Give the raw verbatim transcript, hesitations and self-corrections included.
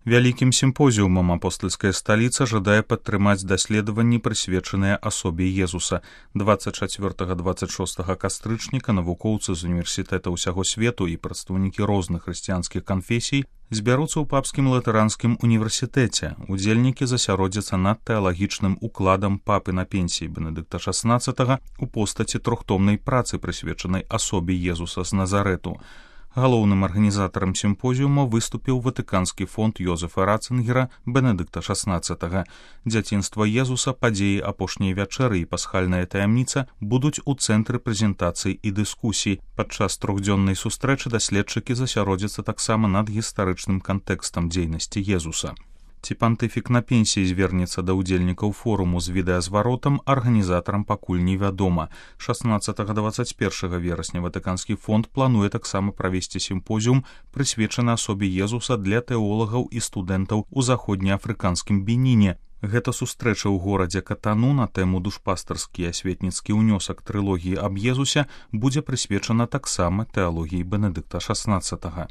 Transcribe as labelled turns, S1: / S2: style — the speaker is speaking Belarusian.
S1: Вялікім сімпозіумам апостальская сталіца жадае падтрымаць даследаванні, прысвечаныя асобе Езуса. дваццаць чацвёртага - дваццаць шостага кастрычніка навукоўцы з універсітэта ўсяго свету і прадстаўнікі розных хрысціянскіх канфесій збяруцца ў папскім латаранскім універсітэце. Удзельнікі засяродзяцца над тэалагічным укладам папы на пенсіі Бенедыкта шаснаццатага у постаці трохтомнай працы, прысвечанай асобе Езуса з Назарэту. Галоўным арганізатарам сімпозіума выступіў Ватыканскі фонд Йозефа Ратцынгера Бенедыкта шаснаццатага. Дзяцінства Езуса, падзеі апошняй вячэры і пасхальная таямніца будуць у цэнтры прэзентацый і дыскусій. Падчас трохдзённай сустрэчы даследчыкі засяродзяцца таксама над гістарычным кантэкстам дзейнасці Езуса. Ці пантыфік на пенсіі звернецца да ўдзельнікаў форуму з відэазваротам, арганізатарам пакуль невядома. шаснаццатага - дваццаць першага верасня Ватыканскі фонд плануе таксама правесці сімпозіум, прысвечаны асобе Езуса для тэолагаў і студэнтаў у заходнеафрыканскім Беніне. Гэта сустрэча ў горадзе Катану на тэму душпастарскі і асветніцкі ўнёсак трылогіі аб Езусе будзе прысвечана таксама тэалогіі Бенедыкта шаснаццатага.